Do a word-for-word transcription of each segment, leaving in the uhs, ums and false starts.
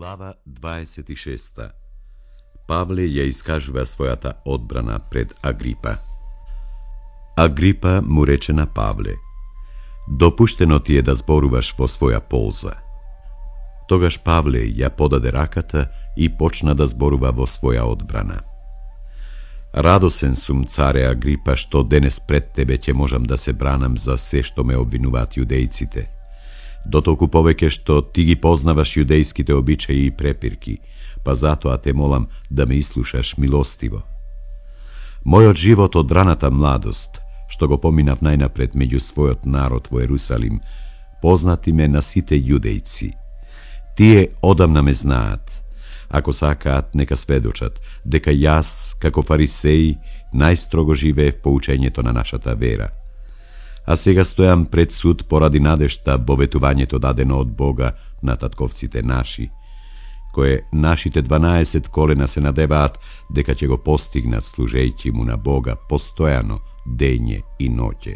Глава дваесет и шеста. Павле ја искажува својата одбрана пред Агрипа. Агрипа му рече на Павле: допуштено ти е да зборуваш во своја полза. Тогаш Павле ја подаде раката и почна да зборува во своја одбрана. Радосен сум, царе Агрипа, што денес пред тебе ќе можам да се бранам за се што ме обвинуваат јудејците. Дотолку повеќе што ти ги познаваш јудејските обичаи и препирки, па затоа те молам да ме ислушаш милостиво. Мојот живот од раната младост, што го поминав најнапред меѓу својот народ во Ерусалим, познати ме на сите јудејци. Тие одамна ме знаат. Ако сакаат, нека сведочат дека јас, како фарисеј, најстрого живеев по учењето на нашата вера. А сега стојам пред суд поради надежта во ветувањето дадено од Бога на татковците наши, кое нашите дванаесет колена се надеваат дека ќе го постигнат служејќи му на Бога постојано, дење и ноќе.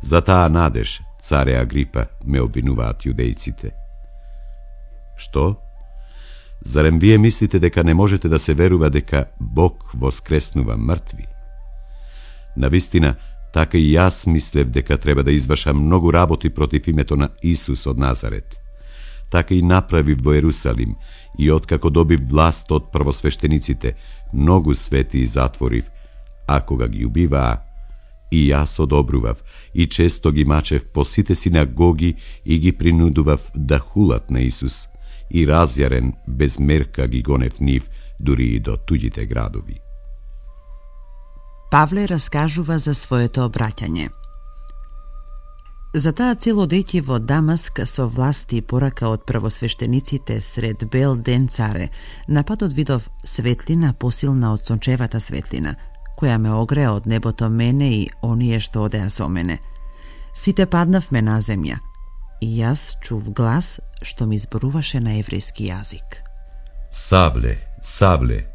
За таа надеж, царе Агрипа, ме обвинуваат јудејците. Што? Зарем вие мислите дека не можете да се верува дека Бог воскреснува мртви? Навистина, така и јас мислев дека треба да извршам многу работи против името на Исус од Назарет. Така и направив во Ерусалим и откако добив власт од првосвештениците, многу свети затворив, а кога ги убиваа, и јас одобрував и често ги мачев по сите синагоги и ги принудував да хулат на Исус, и разјарен без мерка ги гонев нив дури и до туѓите градови. Павле раскажува за своето обраќање. За таа цел одејќи во Дамаск со власти и порака од првосвештениците сред бел ден, царе, на патот видов светлина посилна од сончевата светлина, која ме огреа од небото мене и оние што одеа со мене. Сите паднавме на земја, и јас чув глас што ми зборуваше на еврејски јазик. Савле, Савле,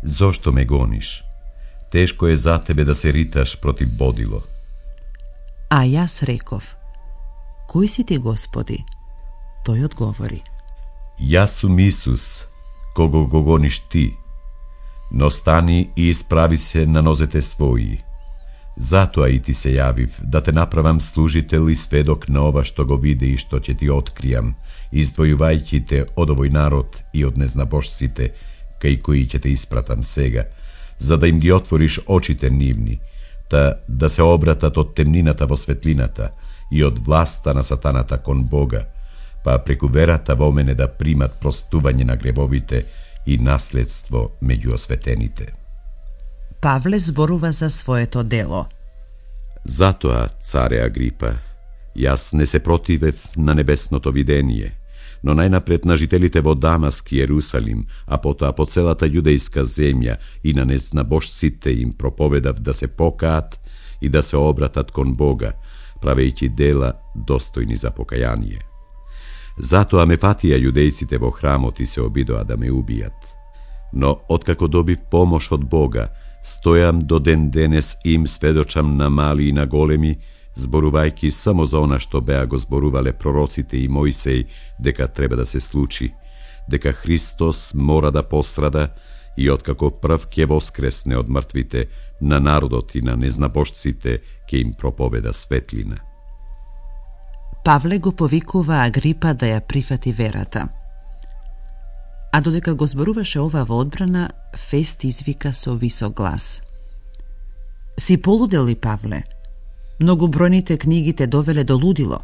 зошто ме гониш? Тешко е за тебе да се риташ против бодило. А јас реков: кој си ти, Господи? Тој одговори: јас сум Исус, кого го гониш ти. Но стани и исправи се на нозете своји. Затоа и ти се јавив, да те направам служител и сведок на ова што го види и што ќе ти откријам, издвојувајќи те од овој народ и од незнабожците, кај кои ќе те испратам сега, за да им ги отвориш очите нивни, та да се обратат од темнината во светлината и од власта на сатаната кон Бога, па преку верата во мене да примат простување на гревовите и наследство меѓу осветените. Павле зборува за своето дело. Затоа, царе Агрипа, јас не се противев на небесното видение, но најнапред на жителите во Дамаск и Ерусалим, а потоа по целата јудејска земја и на незнабожците им проповедав да се покаат и да се обратат кон Бога, правејќи дела достојни за покаяние. Затоа ме фатија јудејците во храмот и се обидоа да ме убијат. Но откако добив помош од Бога, стојам до ден денес и им сведочам на мали и на големи, зборувајќи само за она што беа го зборувале пророците и Мојсеј, дека треба да се случи, дека Христос мора да пострада и откако прв ќе воскресне од мртвите, на народот и на незнабожците ќе им проповеда светлина. Павле го повикува Агрипа да ја прифати верата. А додека го зборуваше ова во одбрана, Фест извика со висок глас: си полудел ли, Павле? Многу бројните книги те довеле до лудило.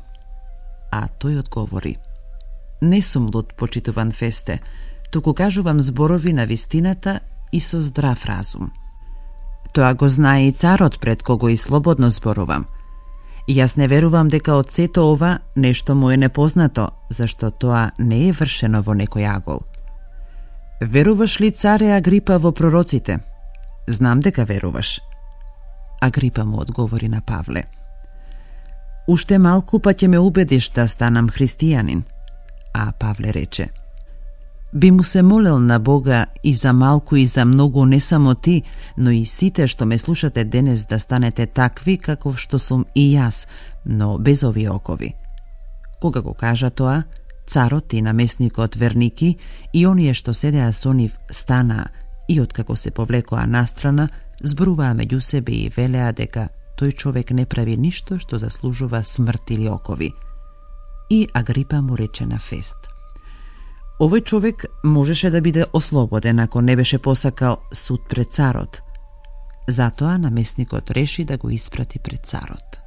А тој одговори: не сум луд, почитуван Фесте, туку кажувам зборови на вистината и со здрав разум. Тоа го знае и царот, пред кого и слободно зборувам. Јас не верувам дека од сето ова нешто му е непознато, зашто тоа не е вршено во некој агол. Веруваш ли, царе Агрипа, во пророците? Знам дека веруваш. Агрипа му одговори на Павле: уште малку па ќе ме убедиш да станам христијанин. А Павле рече: би му се молел на Бога и за малку и за многу, не само ти, но и сите што ме слушате денес, да станете такви каков што сум и јас, но без овие окови. Кога го кажа тоа, Царот и намесникот верники и оние што седеа со нив станаа и откако се повлекоа настрана, зборуваа меѓу себе и велеа дека тој човек не прави ништо што заслужува смрт или окови. И Агрипа му рече на Фест: овој човек можеше да биде ослободен ако не беше посакал суд пред царот. Затоа намесникот реши да го испрати пред царот.